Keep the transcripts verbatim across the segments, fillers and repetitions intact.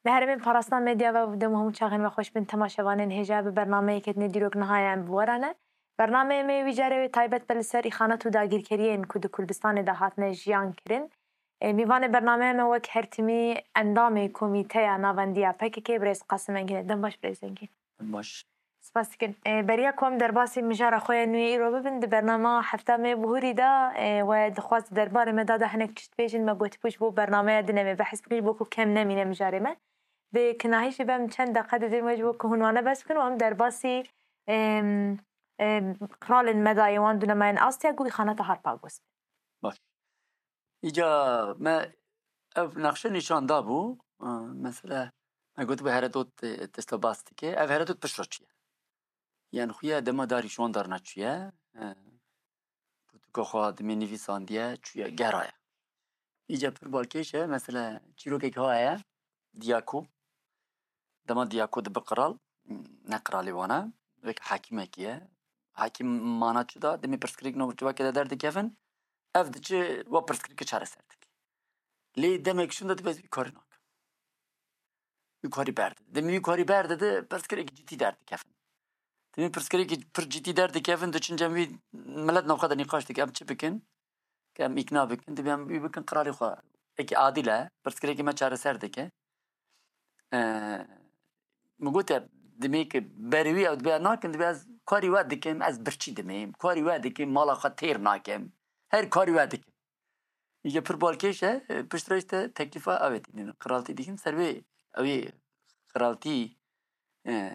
Li herêmên parastina medya ve û dem û hemû çaxên me xweş bin temaşevanên hêja bi bernameyeke dinê dîrok niha ye em bi we re ne. Bernameyê me wî carê wê taybet be li ser îxanet û dagîrkeriyên ku di Kurdistanê de hatine jiyan kirin. E, mîvanê bernameya me wek her timî endamê Komîteya Navendiya P K K birêz Qasim Engîn e. Dem baş birêz Engîn. Baş. Spas dikin. E, beriya ku em derbasî mijara xwe ya nû yê îro bibin, di bernama hefta me bihurî de, e, we dixwest derbarê me da de hinek tişt bêjin, me gotibû ji bo bernameya din em ê behs bikin, ji bo ku kem nemîne mijarê me. Bi kinahî jî bem çend deqe didin we ji bo ku hûn wane behs bikin û em derbasî, em, em, qralên me da yê wan dûnemayên Asya ku îxaneta Harpagos bin. Baş. Îca me ev nexşe nîşan dabû. E, mesela, me gotibû Heredot, e, tişta bas dike. Ev Heredot pişt re çûye. Yan xuya dema darî şiwan darna çûye. E, pirtûka xwe dimê nivîsandiye, çûye, gera ye. Îca pir balkêş e. Mesela, çîrokek ha heye, Diyako. Dema Diyako dibe qral, ne qralê wan e, wek hakîmekî ye. Hakîm mana çi da? Demê pirsgirêk nav civakê de derdikevin, ev diçe wa pirsgirêkê çareser dike. Lê demek şûn de dibe ez wî karî nakim. Wî karî berdide. Demê wî karî berdide, pirsgirêkî cidî derdikevin. Demê pirsgirêkî pir cidî derdikevin, diçin cem wî, milet navxwe de nîqaş dike, em çi bikin? Ke em îkna bikin, dibê em wî bikin qralê xwe. Eke adil e, pirsgirêkê me çareser dike. Ee, min gotiye, dimê ke berê wî ew dibê nakin, dibê ez karî we dikim, ez birçî dimêm, karî we dikim, mala xwe têr nakim. Her karî we dikim. Îje pir balkêş e, e, pişt re işte teklîfa ew ê tînin. Qiraltî dikin, ser wê ew ê qiraltî, e,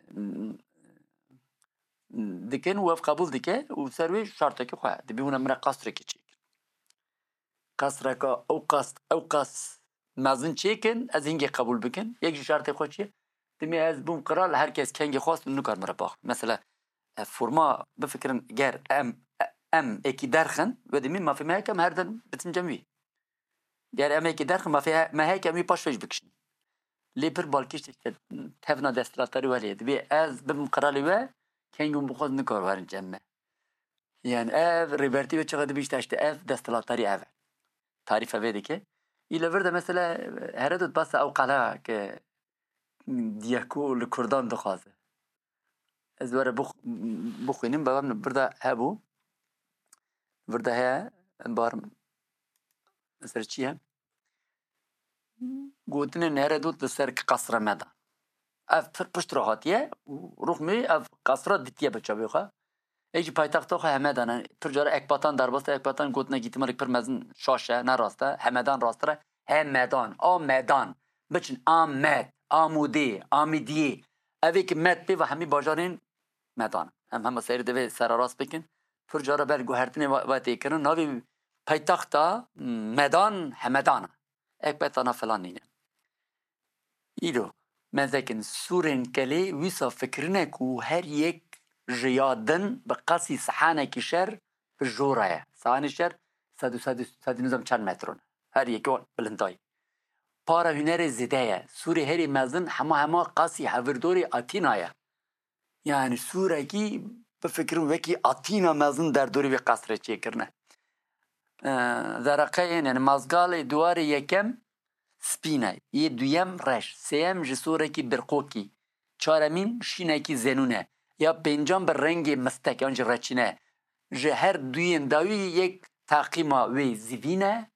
dikin û ev qebûl dike û ser wê şartekî xwe heye. Dibê hûn em re qasrekê çêkin. Qasreka ew qas, ew qas mezin çêkin, ez hingê qebûl bikin. Yek ji şartê xwe çi ye? Dimê ez bûm qral, her kes kengê xwest û nikar min re baxwe. Mesela, e, forma bifikirin, ger em, em êkî derxin, we dimî mafê me heke em her din bitin cem wî. Ger em êkî derxin, mafê he-, me heke em wî paş ve jî bikişin. Lê pir balkêş tişt e, tevna desthilatdarî welê. Dibê ez bibim qiralê we, keng û bixwaz nikar werin cem me. Yani ev rêbertî ve çaxa dibî işte, işte ev desthilatdarî ev e. Tarîfe vê dike. Î li vir de mesela Herodot basa ew qala ke Diyako li Kurdan dixwaze. Ez were bix-, bixwînim, bavem li vir de hebû. Vir de heye, em barim. Mesela çi ye? Gotinên Herodot li ser qesra me de. Ev pir pişt re hatiye û ruxmê ev qesra ditiye bi çavê xwe. Ê jî paytexta xwe Hemedan e. Pir cara Ekbatan derbas e. Ekbatan gotinekî îhtimalek pir mezin şaş e, ne rast e. Hemedan rasttir e. Hemedan, a medan. Biçin Amed, Amûdê, Amidiyê. Ev ê ki Med pê ve hemî bajarên medan. Em hema seyr divê sererast bikin. Pir cara ber guhertinê ve, ve tê kirin. Navê paytexta Medan Hemedan e. Ekbetana filan nîne. Îro, me zekin sûrên kelê wisa fikirine ku her yek ji ya din bi qasî sihanekî şer bi jora ye. Sihanê şer sed û, sed û, sed û nizam çend metron. Her yekê wan bilindayî. Para hunerê zêde ye. Sûrê herî mezin hema hema qasî hevirdorê Atîna ye. Yani sûrekî bifikirin wekî Atîna mezin derdorê vê qesrê çêkirine. Ee, zeraqeyên, yani mazgalê duwarê yekem spîn e, yê duyem reş, sêyem ji sûrekî birqokî, çaremîn şînekî zenûn e, ya pêncan bi rengê mistek yan jî reçîne. Ji her duyên dawî yek taqîma wê zivîn e,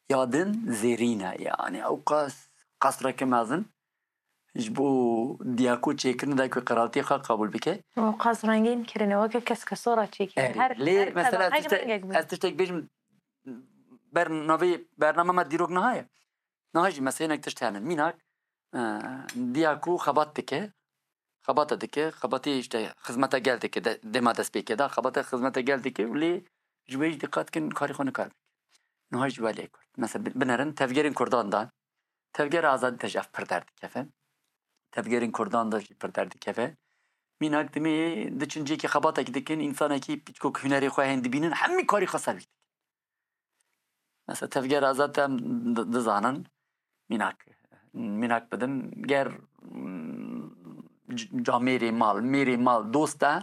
ya din zêrîn e. Yani ew qas qasreke mezin ji bo Diyako çêkirin da ku qiraltiyê xwe qebûl bike. Ew qas rengîn kirine, weke keskesora çêkirin. Erê. Her, lê her mesela tebaqek tiştek, rengek bû. Ez tiştek bêjim, ber navê bername me dîrok niha ye. Niha jî meselenek tişt hene. Mînak, e, Diyako xebat dike. Xebata dike. Xebatê işte xizmeta gel dike. De, dema dest pê kê da. Xebata xizmeta gel dike. Lê ji wê jî diqat kin karê xwe nikar bike. Niha jî welê Kurd. Mesela bi-, binerin tevgerên Kurdan da. Tevgera azadî de jî ev pir derdikeve. Tevgerên Kurdan de jî pir derdikeve. Mînak dimê diçin cêkê xebatekî dikin, însanekî piçkok hunerê xwe hên dibînin, hemî karî xwe ser wî dikin. Mesela tevgera azad em di-, dizanin, mînak, mînak bidim, ger, mm, c-, camêrê mal, mêrê mal dost e,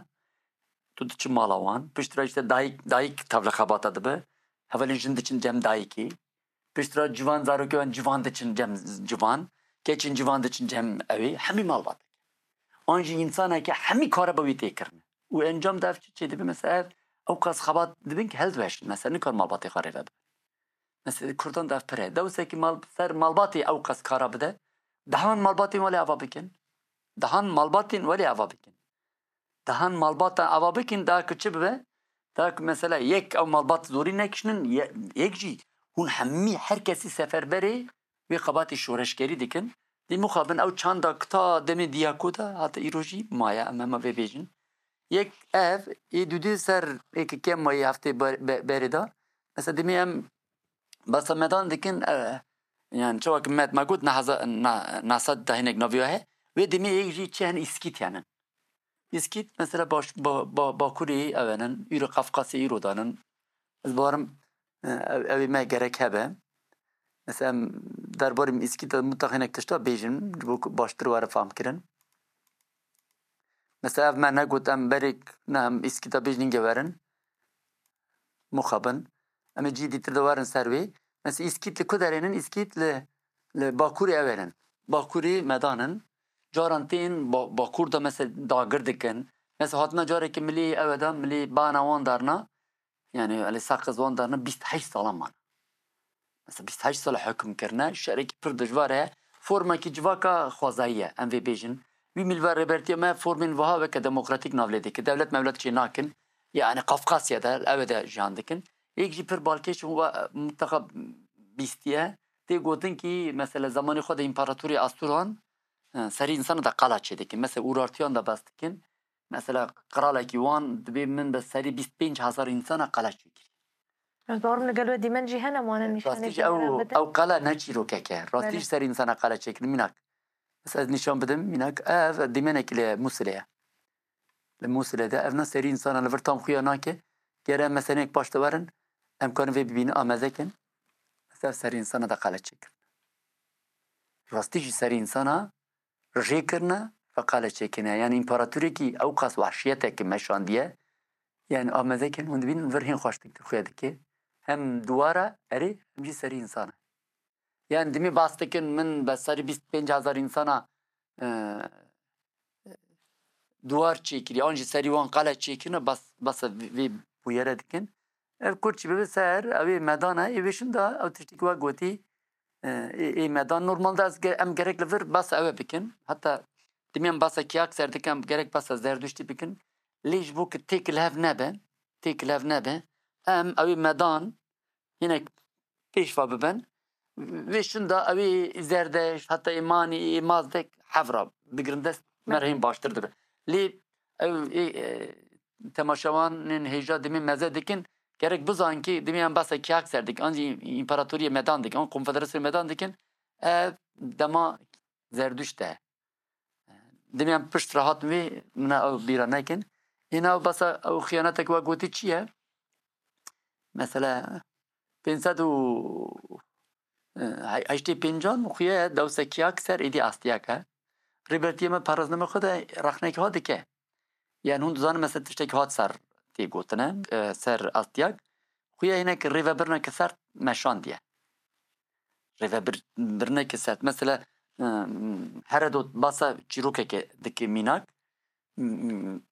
tu diçi mala wan. Piştre işte dayik, dayik tevli xebata dibe. Hevalên jin diçin cem dayikê. Piştre civan, zarokê wan civan diçin cem civan. Keçên civan diçin cem ewê, hemî malbat. An jî însaneke hemî kare bi wî tê kirine. Û encam de ev çi çê dibe? Mesela ev ew qas xebat dibin ki hel diweşin. Mesela nikar malbatê xwe rêve bibin. Mesela Kurdan de ev pir e. Dewsekî mal, ser malbatê ew qas kara bide. Dehan malbatên welê ava bikin. Dehan malbatên welê ava bikin. Dehan malbata ava bikin, da ku çi bibe? Da ku mesela yek ew malbat zorî nekişinin, ye-, yek jî hûn hemî her kesî seferberê wê xebatê şoreşgerî dikin. Dê mixabin ew çanda ku ta demê diyako de hata îro jî maye, em hema vê bêjin. Yek ev, ê dudî ser êk kem mayî heftê ber-, be-, berê de. Mesela demê em basa medan dikin, e, yani çawa ki met me got, neheza-, ne-, nesed de hinek navî we heye. Wê demê êk jî çi hene, îskît hene. Îskît mesela baş-, ba-, ba-, Bakurê ew henin, îro Qafqasê îro danin. Ez barim, e, ew, ew ê me gerek hebe. Mesela em derbarê îskît de mutlaq hinek tişta bêjin, ji bo ku baştir were fam kirin. Mesela ev me negot em berêk ne em îskîta bêjin hingê werin. Muxabin. Em ê cî dîtir de werin ser wê. Mesela îskît li ku derênin? Îskît li, li Bakurê ew ênin. Bakurê medanin. Caran tên ba-, Bakur de mesela dagir dikin. Mesela hatina carekî milî ew e da, milî bana wan darna. Yani elê saqiz wan darna bîst heşt salan man. Mesela bîst heşt sal hukm kirine, şerekî pir dijwar e. Formekî civaka xwezayî ye, em vê bêjin. Wî milver rêbertiya me formên wiha weke demokratîk nav lê dike. Dewlet mewlet çê nakin. Yani Qafqasya de, ew de jiyan dikin. Yek jî pir balkêş û wa-, mutlaka bîstiye. Tê gotin ki mesela zamanê xwe de împaratorê Asturan, e, serî insana da qala çê dikin. Mesela Urartiyan da bas dikin. Mesela qiralekî wan dibê min bi serî bîst pênc hezar însana qala çêkirî. Ez bawerim li gel we dîmen jî hene, wane nîşanê Rastî jî ew, ew qala ne çîrokek e. Rastî Belê. Jî ser însana qala çêkirin mînak. Mesela ez nîşan bidim mînak, ev dîmenekî li Mûsilê ye. Li Mûsilê de ev ne serî însana li vir tam xuya nake. Gere em meseleyek paş de werin, em karin vê bibînin, ameze kin. Mesela ev serî însana da qala çêkirin. Rastî jî serî însana rê kirine, feqale çêkine. Yani împaratorêkî ew qas wahşiyeteke meşandiye. Yani ameze kin, hûn dibînin vir hîn xweştik xuya dike. Hem duwara erê, hem jî serî însan e. Yani dimê bas dikin, min be serî bîst pênc hezar însana, e, duwar çêkirî, an jî serî wan qale çêkirine, bas, basa vê, vê bûyere dikin. Ev kurçî bibe ser, ew ê medan e, ê wê şinda, ew tiştî ku we gotî, e, ê, ê medan. Normalde ez ge-, em gerek li vir basa ew ê bikin. Heta dimê em basa kiyak ser dikin, em gerek basa Zerduştî bikin. Lê ji bo ku têk li hev nebe, têk li hev nebe, em ew ê medan hinek pêşva bibin. Vê şinda ew ê Zerdeşt, heta ê Manî, ê Mazdek hevra bigirin dest, me re hîn baştir dibe. Lê ew ê, e, temaşevanên hêja dimê meze dikin, gerek bizan ki dimê em basa kiyak ser dikin, an jî împaratoriyê medan dikin, an konfederasyonê medan dikin, ev dema Zerduşt e. Dimê em pişt re hatin vê, min ew bîra nekin. Îna ew basa ew xiyanetek we gotî çi ye? Mesela pênc sed û heştê pêncan xuye dewsekiyak ser êdî astiyak e. Rêbertiyê me parazname xwe de rexnekî ha dike. Yani hûn dizanin mesela tiştekî hat ser tê gotine, e, ser astiyak. Xuye hinek rêvebirneke sert meşandiye. Rêvebir-, birneke sert. Mesela, e, Herodot basa çîrokeke dike mînak.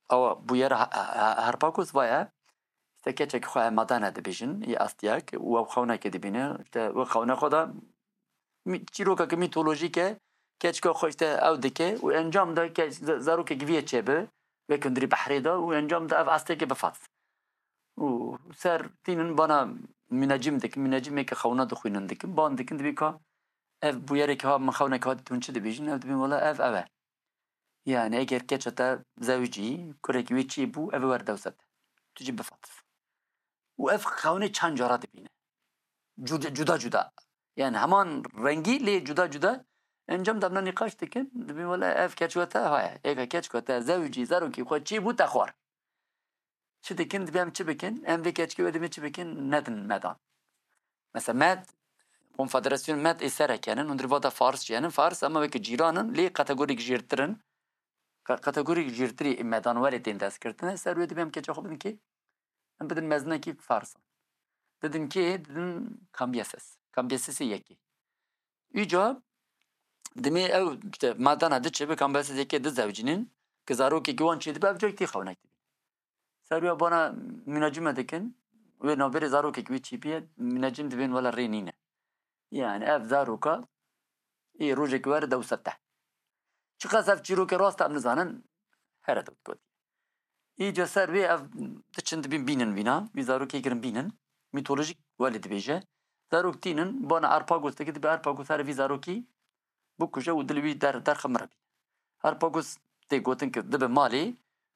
Awa bûyera Ha-, Ha-, Harpakos vaya, işte keçek xwe madane dibêjin, yê astiyak, û ew xewneke dibîne. İşte wê xewne xwe da mî-, çîrokeke mîtolojîk e, keçika xwe işte ew dike û encam de ke-, ze-, zarokek vî yê çêbi, wek hundirî behrê de û encam de ev asteke bifat. Û ser tînin bana münecim dikin, münecimeke xewna dixwînin dikin, ban dikin, dibî ka ev bûyereke ha, min xewneke ha, hûn çi dibêjin? Ev dibîn, wela ev, ev e. Yani eger keça te zewicî, kurekî wê çê bû, ev wer dewse te. Tu jî bifat. Û ev xewnê çend cara dibîne. Cuda, cuda cuda. Yani heman rengî lê cuda cuda. Encam de em nîqaş dikin, dibîn wela ev keç we te haye. Êka keç we te zewicî, zarokî xwe çê bû te xwar. Çi dikin, dibê em çi bikin? Em vê keçkê we dibê çi bikin? Nedin medan. Mesela med, konfederasyon med ê sereke nin, hundir vada Fars jî henin. Fars ama weke cîran in, lê kategorîk jêrtir in. Ka-, kategorîk jêrtirî medan werê tên destgirtine. Ser wê dibê em keça xwe bidin kê? Em bidin mezinekî Farsan. Didin kê? Didin Kambiyeses. Kambiyesesê yekê. Îca Dimê ew işte madana diçe bi kambesizekê dizewcînin, ki zarokekî wan çêdibe, ev cayek tê xewinek dibî. Ser wê bana mînacî me dikin, wê navberê zarokekî wî çêbiye, mînacî min dibên wela rê nîne. Yani ev zaroka ê rojekî were dew sete. Çiqas ev çîrokê rast em nizanin, here dewt got. Îca ser wê ev diçin dibîn bînin vîna, vî zarokê girin bînin. Mîtolojîk welê dibêje. Zarok tînin, bana Arpagos dike, dibe Arpagos here vî zarokî bikuje û dilê wî der-, derxe min re bîne. Arpagos tê gotin ki dibe malê,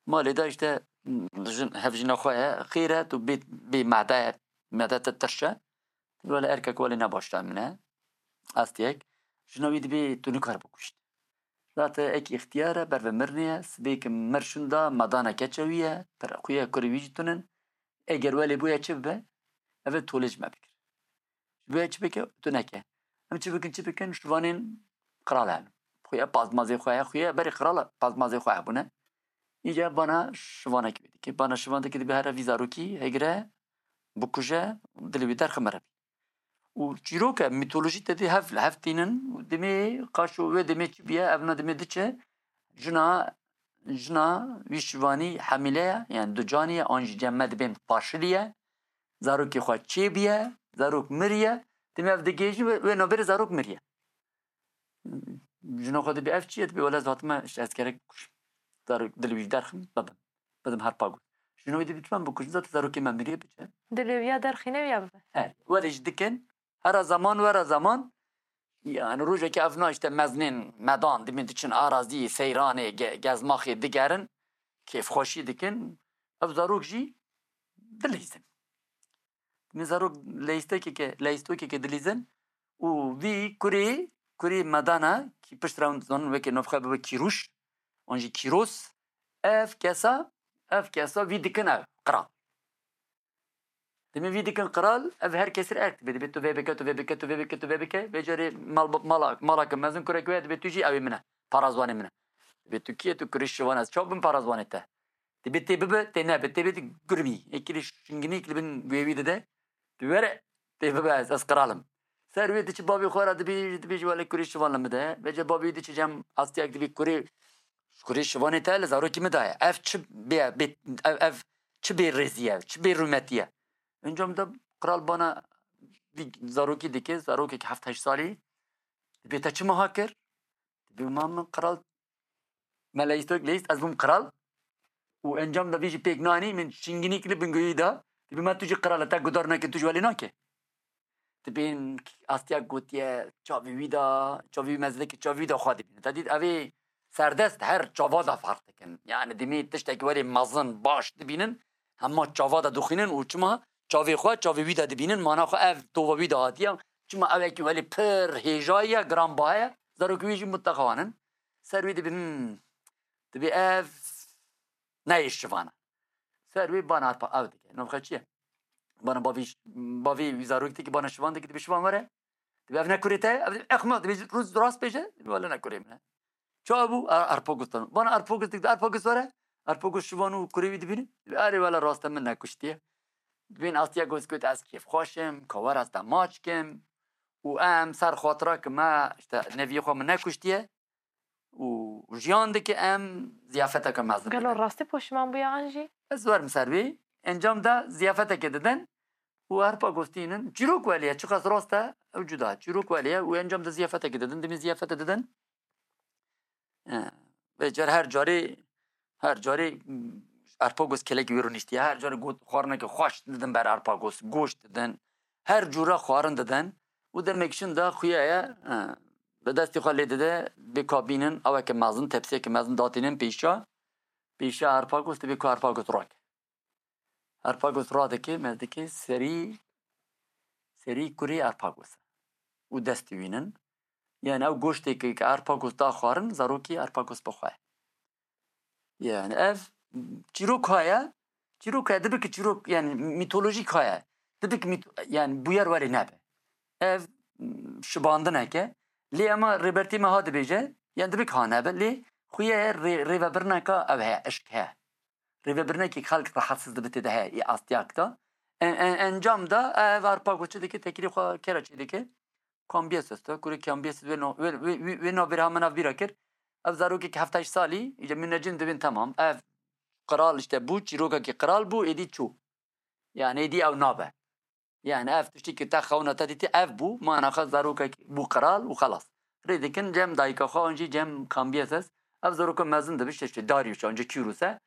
malê de işte jin, hevjîna xwe ye, xêr e, tu bê, bê mede ye, mede te tirş e. Wele erkek welê ne baş min e. Astiyek. Jina wî dibê tu nikare bikuşt. Zate ek îxtiyar e, berve mirinê ye. Sibê ki mir şunda, medane keça wî ye. Pir xwe ye, kurê wî jî tunin. Eger welê bûye çi bibe? Ev ê tolê ji me bikir. Ji bo ye çi bike? Tu neke. Em çi bikin, çi bikin? Şivanên qral hebin. Xuya pazmazê xwe heye, xuya berê qral pazmazê xwe hebûne. Îca bana şivanekî wê dike. Bana şivan dike dibe here vî zarokî hegire, bikuje, dilê wî derxe mere bî. Û çîroke, mîtolojî te dê hev, hev tînin, û demê qaşo wê demê çi biye, evna demê diçe, jina, jina wî şivanî hemîle ye, yani ducanî ye, an jî cem me dibên paşilî ye, zarokê xwe çêbiye, zarok miriye, demê ev digihêjin wê, wê navberê zarok miriye. Jina xwe dibê ev çi ye? Dibê wele ez hatime, işte ez gerek bikujim. Zarok dilê wî derxim, bibim. Bidim Harpago. Jina wî dibê çima bikujim? Zaten zarokê me miriye biçe. Dilê wî ya derxîne wî ya bibe. He, were jî dikin. Hera zaman, were zaman. Yani rojekê evna işte meznên medan, dimê diçin arazî, seyranê, ge-, gezmaxê digerin. Kêfxweşî dikin. Ev zarok jî dileyzin. Min zarok leyîstekeke, leyîstokeke dilîzin û vî kurê, kurê medana, ki pişt re hûn dizanin weke navxwe bibe Kîrûş, an jî Kîros, ev kesa, ev kesa vî dikin ev, qral. Demê vî dikin qral, ev her kesî erk dibe. Dibê tu vê bike, tu vê bike, tu vê bike, tu vê bike. Vê carê mal, mala, malake mezin kurek wê, dibê tu jî ew ê min e. Parazwanê min e. Dibê tu kî ye, tu kurê şivan ez çav bim parazwanê te. Dibê tê bibe, tê nebe, tê bê gurmî. Ê kirî şinginîk li bin guhê wî dide. Tu were, tê bibe ez, ez qral im. Ser wê diçi bavê xwe re dibêj-, dibêjî wele kurê şivan li min de ye. Vêce bavê wî diçi cem astiyek dibê kurê, kurê şivanê te li zarokî min de ye. Ev çi bê, bê, ev, ev çi bê rêzî ye, çi bê rûmetî ye. Encam de qral bana vî zarokî dike, zarokek heft heşt salî. Dibê te çi meha kir? Dibê ma min qral me leyîstok leyîst, ez bûm qral. Û encam de vî jî pêk nanî, min şingînî kir li bingûyî da. Dibê me tu jî qral e, te gudar neke, tu jî welê nake. Dibên astiya gotiye, çavê wî da, çavê wî mezin dike, çavê wî da xwe dibîne. Te dît ev ê serdest her çava da ferq dikin. Yani dimê tiştekî welê mezin, baş dibînin, hema çava da dixwînin û çima çavê xwe, çavê wî da dibînin, mana xwe ev tova wî da hatiye. Çima ew yekî welê pir hêja ye, giranbaha ye, zarokê wî jî muteqawan in. Ser wî dibê, hmm, dibê ev neyê şivan e. Ser wî bana arpa ev dike. Navxe çi ye? Bana bavî, bavî wî zarokî dike, bana şivan dike, dibê şivan were. Dibê ev ne kurê te ye? Ev dibê, exma, dibê rûz rast bêje, dibê wele ne kurê min e. Çawa bû? A-, Arpagos tan. Bana Arpagos dike, Arpagos were. Arpagos şivan û kurê wî dibîne. Dibê erê wele rast e, min nekuştiye. Dibên astiya gos got ez kêfxweş im, ka were ez te maç kim. Û em ser xatira ki me, işte, neviyê xwe min nekuştiye. Û jiyan dike em ziyafeteke mezin Gelo dibin. Rastî poşiman bûye an jî? Ez werim ser wê. Encam de ziyafeteke didin û Arpagos tînin. Çîrok welê ye, çiqas rast e, ew cuda. Çîrok welê ye û encam de ziyafeteke didin. Dimê ziyafete didin. E, vê car her carê, her carê, mm, Arpagos kelekî wê rûniştiye. Her carê got xwarineke xweş didin ber Arpagos. Goşt didin. Her cûre xwarin didin. Û demek şin de xuya ye, e, bi destê xwe lê dide, bê ka bînin, eweke mezin, tepsiyeke mezin datînin pêşa, pêşa Arpagos, dibê ku Arpagos rake. Arpagos radike, me dike serî, serî kurê Arpagos e. Û destî wînin. Yani ew goştê ki, ki Arpagos da xwarin, zarokî Arpagos bi xwe ye. Yani ev çîrok haya, çîrok haya, dibe ki çîrok, yani mîtolojîk haya. Dibe ki mît-, yani bûyer welê nebe. Ev, m, şibandineke. Lê ema Rêbertî me ha dibêje, yani dibe ki ha nebe, lê xuye rê-, rêvebirineka ev heye, eşk heye. Rêvebirinekê xelk rehetsiz dibe tê de heye, ê astiyak da. En-, en-, encam da ev Arpagos çi dike, tekirî xwe kera çê dike. Kambiyeses te, kurê Kambiyeses wê no-, wê, wê, wê, wê navbêra min ev bîra kir. Ev zarokek heft heşt salî, îca min necin dibên temam. Ev qral işte bû, çîrokekî qral bû, êdî çû. Yani êdî ew nabe. Yani ev tiştî ki te xewna te dîtî ev bû, mana xwe zarokek bû qral û xelas. Rê dikin cem dayika xwe an jî cem Kambiyeses. Ev zaroka mezin dibe, işte, işte Darius an jî Kîrus e.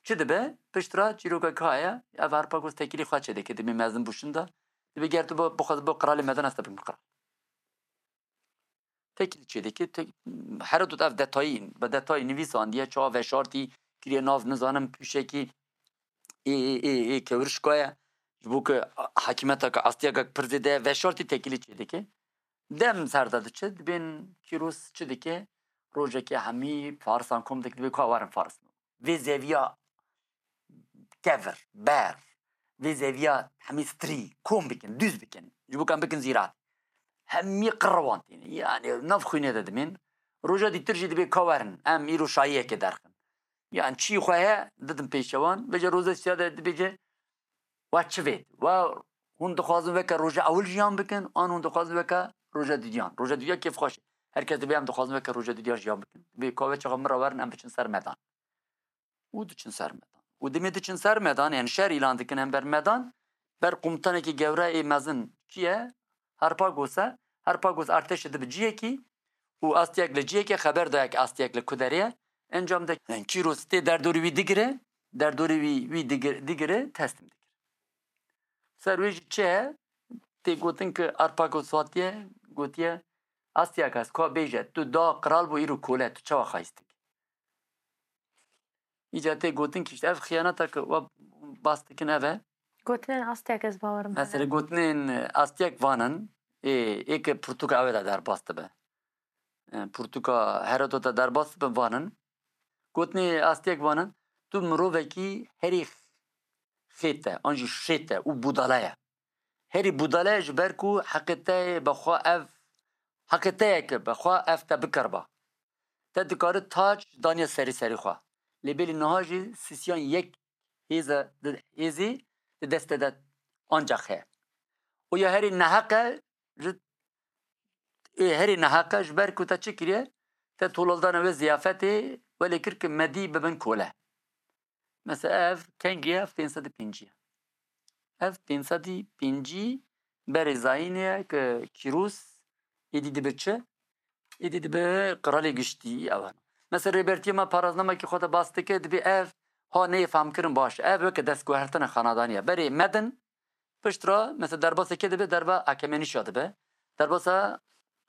Çi dibe? Pişt re çîrokek heye, ev Harpagos tekilî xwe çêdike, dibê mezin bû şinda. Dibê ger tu bo, bixwaz bo qralê mezin ez te bikim qral. Tekilî çêdike, tek, Herodot ev detayî, bi detayî nivîsandiye, çawa veşartî, kiriye nav nizanim pûşekî ê, ê, ê, ê kewrişka ye. Ji bo ku hakîmeteke astiyekek pir zêde ye, veşartî tekilî çêdike. Dem ser de diçe, dibên Kîros çi dike? Rojekê hemî farisan kom dike, dibê ka werin faris. Vê zeviya kevir, ber, vê zeviya hemî strî kom bikin, dûz bikin. Ji bo ku em bikin zîrat. Hemî qirrewan tîne. Yani nav xwînê de dimên. Roja dîtir jî dibê ka werin, em îro şayiyekê derxin. Yani çî xwe heye, didin pêşewan. Vêca roza siya de dibêje, wa çi vêt? Wa hûn dixwazin weke roja ewil jiyan bikin, an hûn dixwazin weke roja dudiyan? Roja dudiya kêfxweş e. Her kes dibê em dixwazin weke roja dudiya jiyan bikin. Dibê ka wê çaxa min re werin, em biçin ser medan. Û diçin ser medan. Û dimê diçin ser medan, yani şer îlan dikin hember medan, ber komutanekî gewre ê mezin kî ye? Harpagos e. Harpagos artêşê dibe ciyekî û astiyek li ciyekê xeber dayek astiyek li ku derê ye. Encam de Kîros tê derdorê wî digire, derdorê wî, wî digir-, digire, teslim dikir. Ser wê jî çi ye? Tê gotin ki Harpagos hatiye, gotiye, astiyek ez ka bêje, tu da qral bû îro kole, tu çawa xahîstik? Îca tê gotin ki işte ev xiyaneta ki we bas dikin ev e. Gotinên astiyek ez bawer me. Mesela gotinên astiyek vanin, ê, ê ki pirtûka ew de derbas dibe. E, pirtûka Herodota derbas dibe vanin. Gotinê astiyek vanin, tu mirovekî herî xêt e, an jî şêt e û budala ye. Herî budala ye ji ber ku heqê te ye bi xwe ev, heqê te ye ki bi xwe ev te bikiriba. Te dikare taç daniye serî serî xwe. Lê belê niha jî sisiyan yek hêze, hêzî di destê de ancaq heye. Û ya herî neheq e, ji, ê herî neheq e, ji ber ku te çi kiriye? Te tolaldana wê ziyafetê welê kir ki medî bibin kole. Mesela ev kengî ye? Ev pênc sed û pêncî ye. Ev pênc sed û pêncî berê zayînê ye ki Kîros êdî dibe çi? Êdî dibe qiralê giştî ew e. Mesela rêbertiyê me paraznamekî xwe de bas dike, dibê ev ha neyê fehmkirin baş. Ev weke destguhertina xenadanî ye. Berê medin, pişt re, mesela derbasê kê dibe? Derba Akemenîşa dibe. Derbasa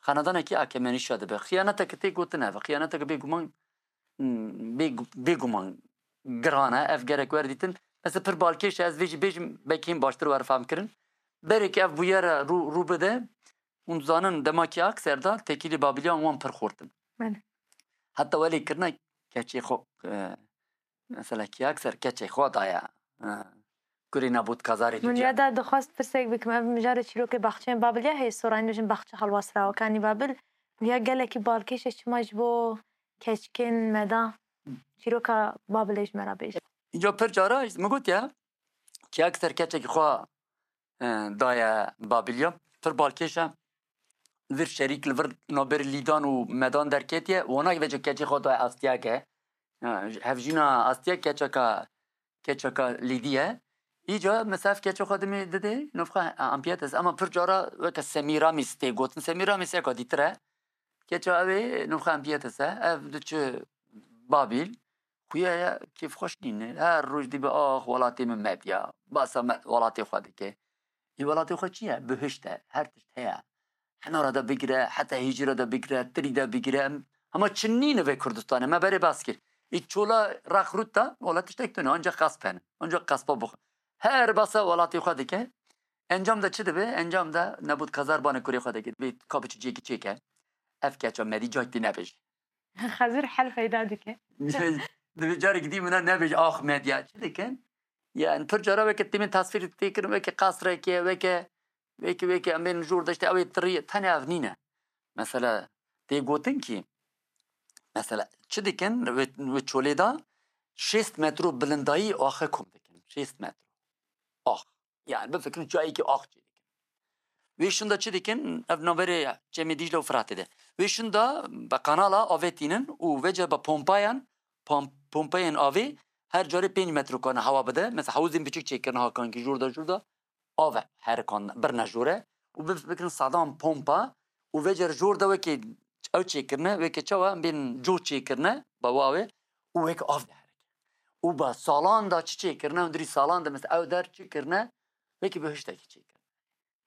xenadanekî Akemenîşa dibe. Xiyaneteke tê gotin ev e. Xiyaneteke bêguman, hmm, bê-, bêguman giran e. Ev gerek werdîtin. Mesela pir balkêş e, ez vê jî bêjim, belkî hîn baştir were fehmkirin. Berê ki ev bûyere rû, rû bide, hûn dizanin dema Kîakser de tekîlî Babiliyan wan pir xortin. Belê. Heta welê kirina keçê xwe, e, mesela Kîakser keçê xwe daye, e, kurê Nebûtkazarê Min dudiya. Ya da dixwest pirsek bikim, ev mijarê çîrokê baxçeyên Babiliya heye, sorayîn dijin baxçe helwasrawa kanî Babil. Ya gelekî balkêş e, çima ji bo keçikên me da çîroka Babilê ji me re bêje. Îca pir cara min gotiye, Kîakser keçekî xwe, e, daye Babiliya. Pir balkêş e. Vir şerîk li vir navberê Lîdan û Medan derketiye. Wana vêca keçê xwe daye astiyeke. E, hevjîna astiyek keçeka, keçeka Lîdî ye. Îca mesela ev keçê xwe dimê didê, nûfxa Ampiyetes. Ama pir cara weke Semîramîs tê gotin. Semîramîs eka dîtir e. Keça ew ê nûfxa Ampiyetes e. Ev diçe Babîl. Xuya ye kêfxweş nîne. Her roj dibê, "Ax, welatê min Medya. Basa me, welatê xwe dike." Ê welatê xwe çi ye? Bihişt e. Her tişt heye. Hinara de bigire, heta hêjîra de bigire, tirî de bigire. Em, hema çi nîne vê Kurdistanê. Me berê bas kir. Ê çola rex rût de, wela tiştek tune. Ancak qesp hene. Ancak qespa bixwe. Her basa welatê xwe dike. Encam de çi dibe? Encam de Nebûtkazar bane kurê xwe dike. Dibê ka biçi ciyekî çêke. Ev keça Medî cayk tê nebêje. Xezir hel peyda dike. Dibê carek dî min nebêje, ax Medya. Çi dikin? Yani pir cara weke têmên tasvîr tê kirin, weke qasreke, weke, weke, weke em bên jor de işte ew ê tirî, tenê ev nîne. Mesela tê gotin ki, mesela çi dikin? Wê, wê çolê de şêst metro bilindayî axê kom dikin. Şêst metro. Ax. Yani bifikirin çayekî ax çê dikin. Wê şûnda çi dikin? Ev navberê Çemê Dîcle û Firatê de. Wê şûnda bi kanala avê tînin û vêca bi pompayan, pom-, pompayên avê her carê pênc metro karine hewa bide. Mesela hewzên biçûk çêkirine Hakankî, jor de jor de av e, herikan birine jor e û bi-, bikin sedan pompa û vêca jor de wekî ew çêkirine, wekî çawa em bên cû çêkirine, bi wê avê û wekî av diherike. Û bi salan de çi çêkirine, hundirî salan de mesela ew der çi kirine, wekî bihiştekî çêkirine.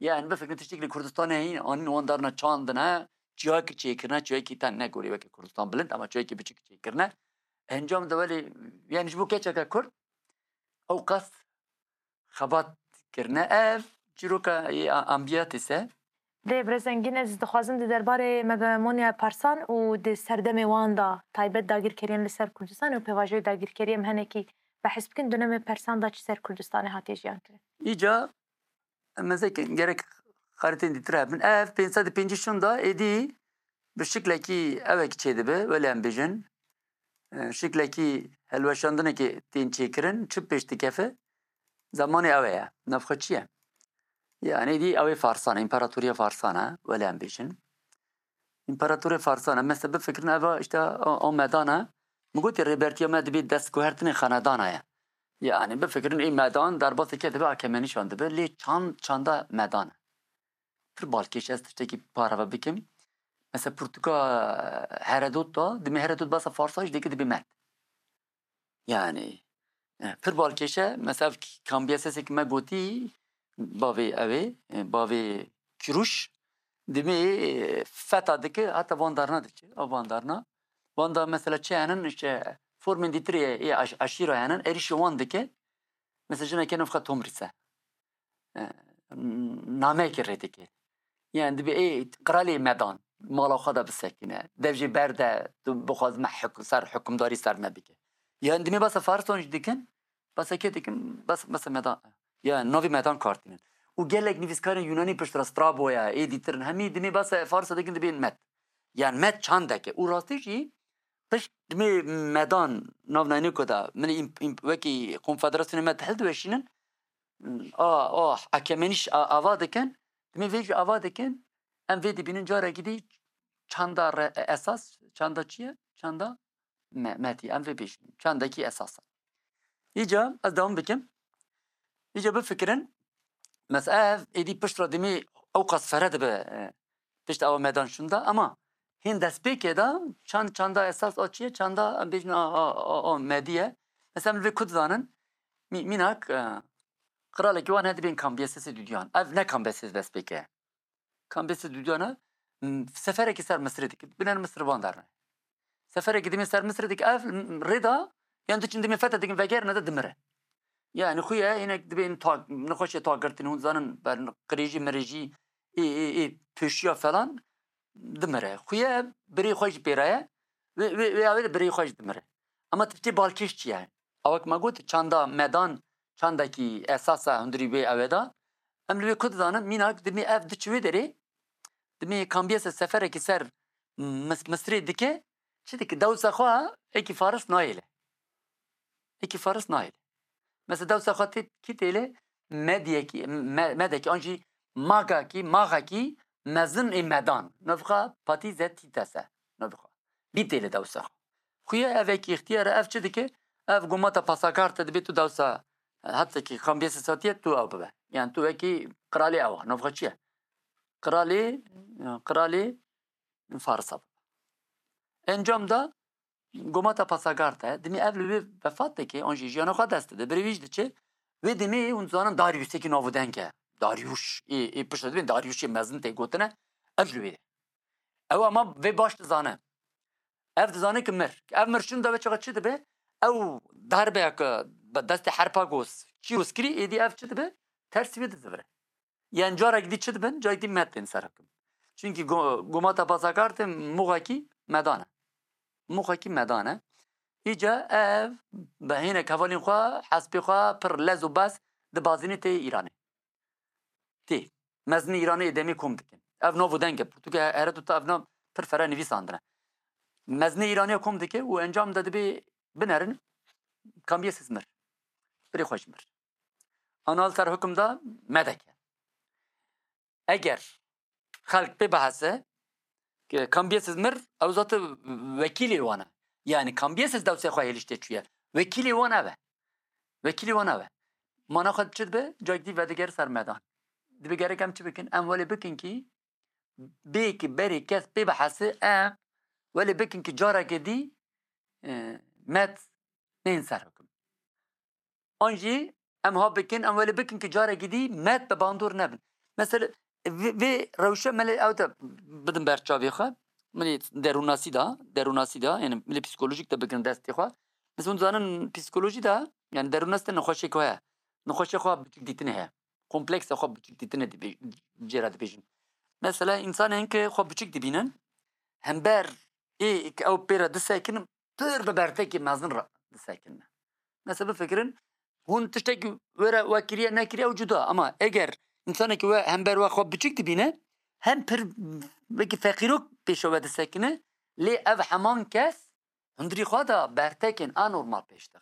Yani bifikirin tiştekî li Kurdistanê hîn anîn wan darna çandine, çiyayekî çêkirine, çiyayekî te negorî weke Kurdistan bilind, ama çiyayekî biçûk çêkirine. Encam de welê, yani ji bo keçeke Kurd, ew qas xebat kirine. Ev çîroka yê a-, ambiyatîs e. Lê Birêz Engîn, ez dixwazim di derbarê hegemonya persan û di serdemê wan de taybet dagirkeriyên li ser Kurdistanê û pêvajoyê dagirkeriyê em hinekî behs bikin, di dönemê persan de çi ser Kurdistanê hatiye jiyan kirin? Îca em ez ê gerek xaritên dîtir hebin. Ev pênc sed û pêncî şûnda êdî bi şiklekî ewek çêdibe, welê em bêjin, e, şiklekî helweşandinekê tên çêkirin, çi pêş dikefe, zemanê ew e ye. Navxwe çi ye? Yani êdî ew ê Farsan e, împaratoriya Farsan e, welê em bêjin. Împaratorê Farsan e. Mesela bifikirin eva işte o, o medan e. Min gotî rêbertiya me dibê destguhertinê xanedana ye. Yani bifikirin ê medan derbaseke dibe Akemenîşan dibe, lê çand, çanda medan e. Pir balkêş ez tiştekî pareve bikim. Mesela pirtûka Heredot da, dimê Heredot basa Farsa jî dike dibê med. Yani, e, pir balkêş e. Mesela K-, Kambiyesesê ki me gotî, bavê ew ê, e, bavê Kiruş, dimê, e, feta dike, heta van darna diçe. A van darna. Van da mesela çi henin, işte, formên dîtirê ê aş-, aşîra henin, êrîşî wan dike. Mesela jineke navxa Tomrîs e. E, nameyekê rê dike. Yani dibê ê qiralê medan, mala xwe de bisekine. Dev jê berde, tu bixwaz me huk-, ser hukimdarî ser me bike. Yani dimê basa Farisan jî dikin, basa kê dikin, bas, basa medan. Yani navê medan kartînin. Û gelek nivîskarên Yunanî pişt re Straboya, ê dîtirin hemî dimê basa Farsa dikin dibên med. Yani med çandeke. Û rastî jî pişt dimê medan navnayînê ku da min îm-, îm-, wekî konfederasyonê me hildweşînin, a, a, Akemenîş a, ava dikin, dimê vê jî ava dikin, em vê dibînin carekî dî çanda re, esas, çanda çi ye? Çanda me, metî, em vê bêjin. Çandekî esas e. Îca ez dewam bikim. Îca bifikirin, mesela ev êdî pişt re dimê ew qas fere dibe, e, pişt ewa medan şûnda, ama hên destpêkê de çand, çanda esas a çi ye? Çanda em bêjin a, a, a, a medî ye. Mesela min vê ku dizanin, mî-, mînak, e, qiralekî wan heye dibên Kambiyesesê Dudyan. Ev ne Kambiyesesê destpêkê ye. Kambiyesê Dudyan e, m, seferekî ser Misirê dike. Biner Misir van derne. Seferekî dimê ser Misirê dike, ev, m, rê da, yan diçin dimê fethe dikin, vegerine de dimire. Yani xuye hinek dibên ta-, nexweşê tagirtin, hûn zanin, ber qirêjî mirêjî, ê, ê, ê, pêşiya falan, dimire. Xuye birê xwe jî pê re ye. Wê, wê, wê awê de birê xwe jî dimire. Ama tiştê balkêş çi ye? Awek me got, çanda medan, çandekî esas e hundirî wê ew ê de. Em li wê ku dizanin, mînak dimê ev diçi wê derê, dimê Kambiyese seferekî ser Mis-, Misirê dike, çi dike? Dewsa xwe êkî Faris nayêle. Êkî Faris nayêle. Mesela dewsa xwe tê, kî têle? Mediyekî, me-, medekî an jî magakî, maxekî mezin ê medan. Navxa Patîze Tîtese. Navxa. Bî têle dewsa xwe. Xuye evekî îxtiyar e, ev çi dike? Ev gomata pasakarte dibê tu dewsa, e, hetekî Kambiyesê satiye tu ew bibe. Yani tu wekî qiralê ew a. Navxa çi ye? Qiralê, e, qiralê Farisa bibe. Encam da gomata pasagarte, dimê ev li wê vefat dike, an jî jiyana xwe dest dide, birê wî jî diçe, wê demê hûn dizanin Daryusekî navûdeng e. Daryuş, ê, ê piştre dibên Daryuşê mezin tê gotine, ev ji wê. Ew ama vê baş dizane. Ev dizane ki mir. Ev mir şûnda wê çaxa çi dibe? Ew darbeya ku bi destê Herpagos Kîros kirî, êdî ev çi dibe? Tersî wê dizivire. Yên carek dî çi dibin? Carek dî med tên ser hikim. Çunkî go-, gomata pasakarte muxekî medan e. Muxekî medan e. Îca ev bi hinek hevalên xwe, hespê xwe pir lez û bez dibazîne tê Îranê. Tê. Mezinê Îranê ê demê kom dikin. Ev nav û deng e. Pirtûkê Heredota ev nav pir fere nivîsandine. Mezinê Îranê kom dike û encam de dibê binerin Kambiyeses mir. Birê xwe jî mir. Ana li ser hukum da medeke. Eger xelk pê bihese, Cambiases mir, ew zate wekîlê wan e. Yani Cambiases dewsê xwe hêliştê çûye. Wekîlê wan ev e. Wekîlê wan ev e. Mana xwe çi dibe? Cayek dî vedigere ser medan. Dibe gerek em çi bikin? Em welê bikin kî bê ki berê kes pê bihese, em welê bikin ki careke dî, e, met nên ser hukm. An jî em ha bikin, em welê bikin ki carekî dî met bi bandor nebin. Mesela vê, vê rewşe melê ew de bidin ber çavê xwe. Milê derûnasî de, derûnasî de, yani milê psikolojik de bikin destê xwe. Mesela hûn zanin psikolojî de, yani derûnas de nexweşê ku heye. Nexweşê xwe biçûk dîtinê heye. Kompleksa xwe biçûk dîtinê dibê-, jê re dibêjin. Mesela insanên ki xwe biçûk dibînin, hember ê ki ew pê re disekinin, pir bi bertekî mezin re disekine. Mesela bifikirin, hûn tiştekî were we kiriye nekiriye ew cuda, ama eger însanekî we hember we xwe biçûk dibîne, hem pir wekî feqîrok pêşe we disekine, lê ev heman kes hundirî xwe de bertekên anormal pêş dixe.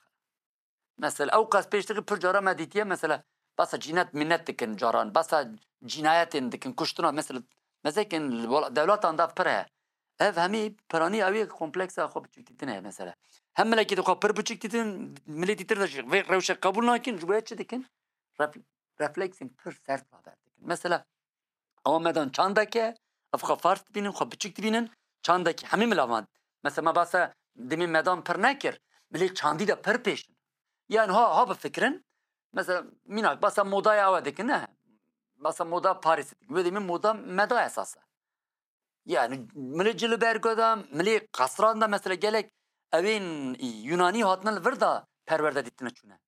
Mesela ew qas pêş dixe pir cara me dîtiye, mesela basa cînet minet dikin caran, basa cînayetên dikin, kuştina, mesela mezekên li wela-, dewletan de pir heye. Ev hemî piranî ew yek kompleksa xwe biçûk dîtin heye mesela. Hem milekî dixwe pir biçûk dîtin, milê dîtir de jî vê rewşe qebûl nakin, ji bo çi dikin? Ref-, refleksên pir sert raber dikin. Mesela ewa medan çandeke, ev xwe fars dibînin, xwe biçûk dibînin, çandekî hemî milavan. Mesela me basa demê medan pir nekir, milê çandî de pir pêş in. Yani ha, ha bifikirin, mesela mînak basa modaya ew dikin, ne? Basa moda Parisê dikin. Wê demê moda meda esas e. Yani milê cilbergo de, milê qesran de mesela gelek ewên Yunanî hatine li vir de perwerde dîtine çûne.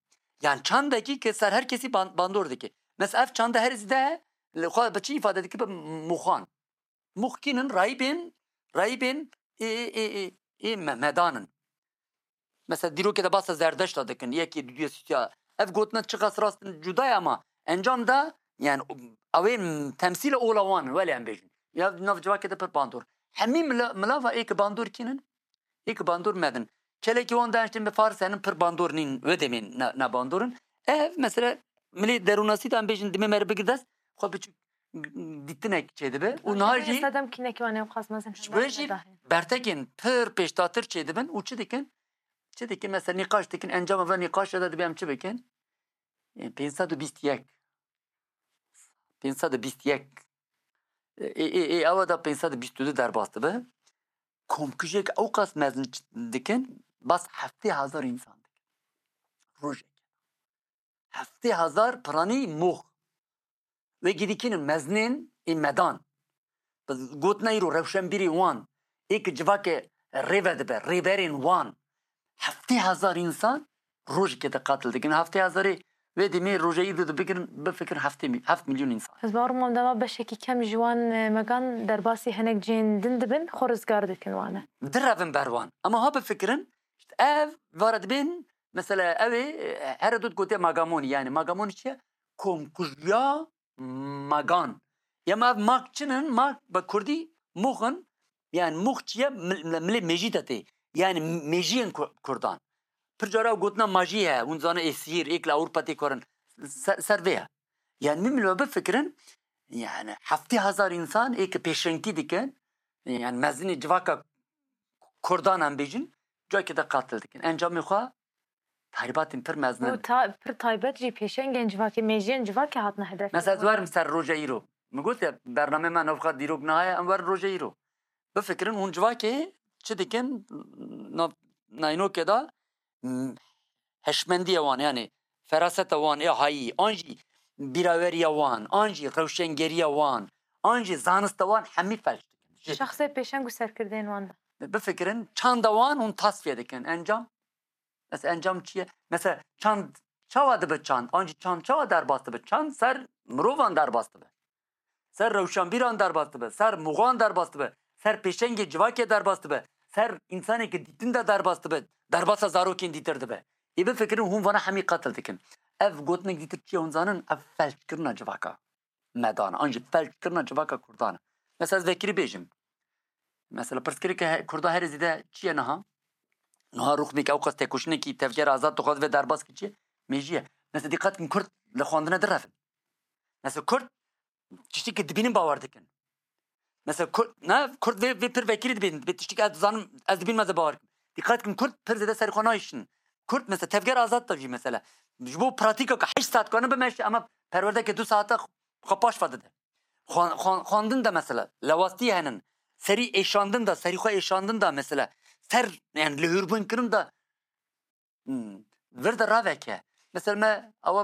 Yani çandekî ki ser her kesî ban-, bandor dike. Mesela ev çanda her zîde li xwe bi çi îfade dike? Bi muxan. Mux kînin? Rahîbên, rahîbên ê, ê, ê, ê, ê me-, medan in. Mesela dîrokê de basa Zerdeşta dikin, yekê, duyê, sîtiya. Ev gotina çiqas rast in cuda ye ama encam de, yani, ew ê temsîla ola wan in, welê em bêjin. Ya nav civakê de pir bandor. Hemî mila-, milava ê ki bandor kînin? Ê ki bandor medin. Kelekî wan daiştin bi Faris henin pir bandor nîn, wê demên ne, ne bandor in. Ev mesela milê derûnasî de em bêjin, dimê me re bigir dest, xwe biçûk dîtinek çêdibe. Û niha jî Sedem kînekî wan ê xwaz mezin ji bo jî bertekên pir pêştatir çêdibin û çi dikin? Çi dikin? Mesela nîqaş dikin, encama ve nîqaşê de dibê em çi bikin? Ê, pênc sed û bîst yek. Pênc sed û bîst yek. Ê, ê, ê, ewa da pênc sed û bîst û du derbas dibe. Komkujek ew qas mezin ç-, dikin, bas heftê hezar însan dikin. Rojek. Heftê hezar piranî mox. Wê gidîkînin mezinên ê medan. Bi gotina îro rewşenbîrê wan, ê ki civakê rê vedibe, rêberên wan, heftê hezar însan rojekê de qatil dikin. Heftê hezarê wê demê roja îro de bigirin, bifikirin heftê mî-, heft milyon însan. Ez bawer im wan dema beşekî kem ji wan, e, megan derbasî hinek cihên din dibin, xwe rizgar dikin wane. Direvin ber wan. Ama ha bifikirin, işte ev vara dibên, mesela ew ê, e, here dot gotiye Magamonî, yani Magamonî çi ye? Komkujiya magan. Ya ma ev mak çi ne? Mak bi kurdî mûx in. Yani mûx çi ye? Mil-, milê mêjî de tê. Yani mêjiyên ku-, kurdan. Pir cara ew gotina majî heye. Hûn zane ê sihîr, ê ki li Ewropa tê karin. Ser, ser vê ye. Yani min, min bifikirin, yani heftê hezar însan ê ki pêşengtî dikin, yani mezinê civaka kurdan em bêjin, cayekê de qatil dikin. Encamê xwe tahribatên pir mezin in. Û ta-, pir taybet jî pêşengên civakê, mêjiyên civakê hatine hedef. Mesela ez werim ser roja îro. Min got ya, bernamê me navxa dîrok niha ye, em werin roja îro. Bifikirin hûn civakê çi dikin nav naynokê de, m-, heşmendiya wan, yani feraseta wan ê hayî, an jî bîraweriya wan, an jî rewşengeriya wan, an jî zanista wan hemî felç dikin. Ji Şexsê pêşeng û serkirdeyên wan de. Bifikirin, çanda wan hûn tasfiye dikin. Encam? Mesela encam çi ye? Mesela çand çawa dibe çand? An jî çand çawa derbas dibe? Çand ser mirovan derbas dibe. Ser rewşenbîran derbas dibe. Ser muxan derbas dibe. Ser pêşengê civakê derbas dibe. Ser însanekî dîtin de derbas dibe. Derbasa zarokên dîtir dibe. Ê bifikirin hûn vana hemî qetil dikin. Ev gotinek dîtir çi ye hûn zanin? Ev felçkirina civaka me dane. An jî felçkirina civaka kurdan e. Mesela ez vekirî bêjim. Mesela pirsgirêke he-, kurda herê zêde çi ye niha? Niha rûxmêk ew qas tekoşînekî tevgera azad dixwaz vê derbas ki çi ye? Mêjî ye. Mesela dîqet kin kurd li xwendine direvin. Mesela kurd tiştî ki dibînin bawer dikin. Mesela Kurd, ne? Kurd vê, vê pir vekirî dibînin. Vê tiştî ki ez dizanim, ez dibînim ez ê bawer kim. Dîqet kin, Kurd pir zêde serê xwe nayişin. Kurd mesela Tevger Azad de jî mesela. Ji bo pratîka ke heşt saet kanin bimeşe, ama perwerdeke du saete xwe paş ve dide. Xwan-, xwan-, xwandin de mesela lewastî henin. Serî êşandin de, serî xwe êşandin de mesela. Ser, yani lihûrbûn kirin de, hmm, vir de raveke. Mesela me awa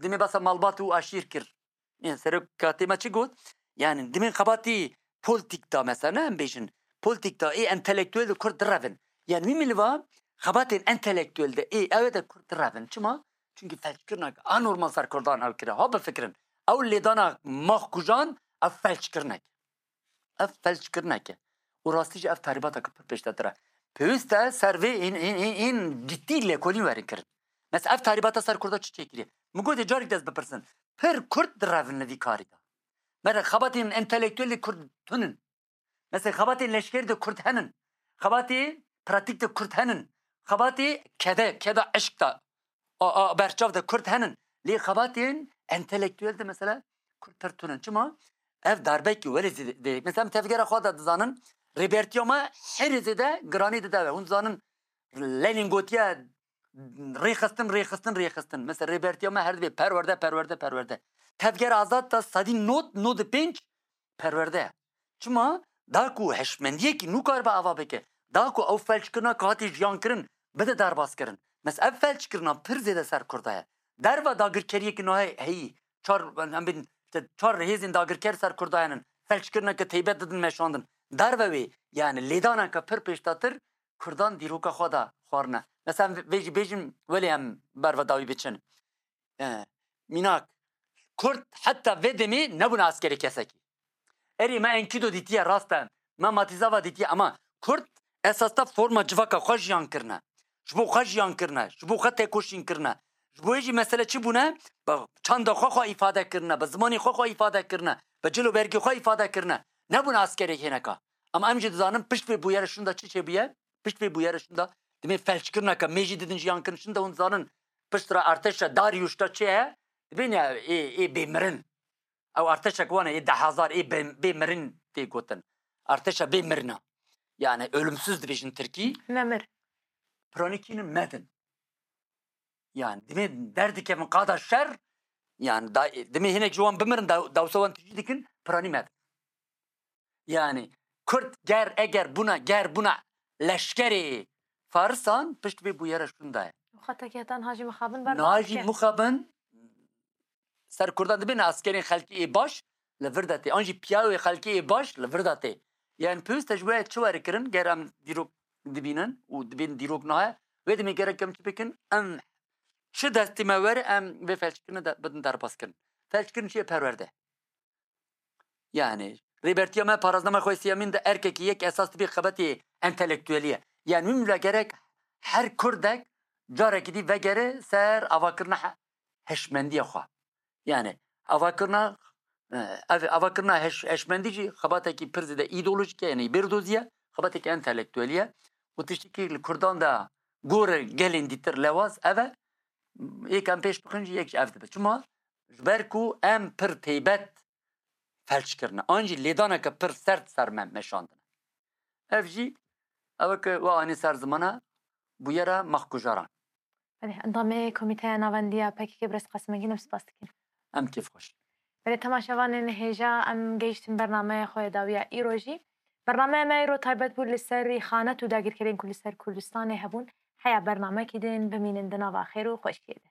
demê basa malbat û aşîr kir. Yani serokatê me çi got? Yani demê xebatî polîtîk de mesela, ne em bêjin, polîtîk de ê entelektuel de Kurd direvin. Yani wî miliva xebatên entelektuel de ê ew de Kurd direvin. Çima? Çünkü felçkirinek anormal ser Kurdan ew kire. Ha bifikirin. Ew lêdana Maxkujan ev felçkirinek. Ev felçkirinek e. Û rastî jî ev tahrîbateke pir pêştetir e. Pêwîst e ser vê ên, ên, ên, ên ciddî lêkolîn werin kirin. Mesela ev tahrîbata ser Kurda çi çêkiriye? Min gotê carek dest bipirsin. Pir Kurd direvin li vî karî de. Mesela xebatên entelektuelê Kurd tunin. Mesela xebatên leşkerî de Kurd henin. Xebatê pratîk de Kurd henin. Xebatê kede, keda eşq de, a, a, berçav de Kurd henin. Lê xebatên entelektuel de mesela Kurd pir tunin. Çima? Ev darbekî welê zêde, mesela em tevgera xwe de dizanin, rêbertiya me herê zêde giranî dide ve. Hûn dizanin Lenin gotiye rêxistin, rêxistin, rêxistin. Mesela rêbertiya me her dibê perwerde, perwerde, perwerde. Tevgera Azad de sedî nod, nod û pênc perwerde ye. Çima? Da ku hişmendiyekî nû karibe ava bike. Da ku ew felçkirina ku hatî jiyan kirin, bide derbas kirin. Mes ev felçkirina pir zêde ser Kurda ye. Derva dagirkeriyekî nahê heyî, çar, em bên, işte, çar hêzên dagirker ser Kurda henin. Felçkirineke teybet didin meşandin. Derve wê, yani lêdaneke pir pêştatir Kurdan dîroka xwe de xwarine. Mesela vê jî bêjim, welê em berve dawî biçin. E, mînak, Kurd heta vê demê nebûne askerê kesekî. Erê me Enkidu dîtiye, rast e. Me Matizava dîtiye, ama Kurd esas de forma civaka xwe jiyan kirine. Ji bo xwe jiyan kirine, ji bo xwe têkoşîn kirine. Ji bo wê jî mesele çi bûne? Bi çanda xwe xwe îfade kirine, bi zimanê xwe xwe îfade kirine, bi cil û bergê xwe îfade kirine. Nebûne askerê hêneka. Ama em jî dizanin pişt vê bûyerê şûnda çi çêbûye? Pişt vê bûyerê şûnda, demê felçkirineke mêjî didin jiyan kirin şûnda, hûn dizanin pişt re artêşa Dariuş de çi ye? Dibên ya ê, ê bêmirin. Ew artêşek wan e, ê deh hezar, ê bê, bê mirin tê gotin. Artêşa bê mirina. Yani ölümsüz dibêjin tirkî. Memir. Piranî kî ne, medin. Yani dimê derdikevin qada şer, yani da, dimê hinek ji wan bimirin, da, dawsa wan tijî dikin, piranî medin. Yani Kurd ger, eger bûna, ger bûna leşkerê Farisan, pişt vê bûyera şûnda ye. Xeta ke heta niha jî mixabin berdan Niha jî dike. Mixabin ser Kurdan dibêne askerên xelkê ê baş li vir de tê. An jî piyawê xelkê ê baş li vir de tê. Yani pêwîst e ji wê çi were kirin, ger em dîrok dibînin û dibên dîrok nayê, wê demê gerek em çi bikin? Em çi destê me were, em vê felçkirinê de bidin derbas kirin. Felçkirin çi ye? Perwerde. Yani, Rêbertiya me paraznama xwe siyemîn de erkekî yek esas dibê xebetê entelektuelî ye. Yani, min bile gerek her Kurdek carekî dî vegere ser avakirina he-, hişmendiya xwe. Yani, avakirina, e, ev, avakirina heş-, hişmendî jî xebatekî pir zêde îdeolojîk e, yani bêrdozî ye, xebatekî entelektuelî ye. Û tiştekî li Kurdan de gor e gelên dîtir lewaz ev e, yek em pêş bixin jî yek jî ev dibe. Çima? Ji ber ku em pir teybet felç kirine. An jî lêdaneke pir sert ser me meşandine. Ev jî, ew e ke we anî ser zimana bûyera maxkujaran. Belê, endamê Komîteya Navendiya P K K Birêz Qasim Engin, em spas dikin. Em kêfxweş. Belê, temaşevanên hêja, em gehiştin bernameya xwe ya dawiya îro jî. Bernameya me îro taybet bû li ser rîxanet û dagirkerên ku li ser Kurdistanê hebûn. Heya bernamekî din bimînin di nava xêr û xweşiyê de.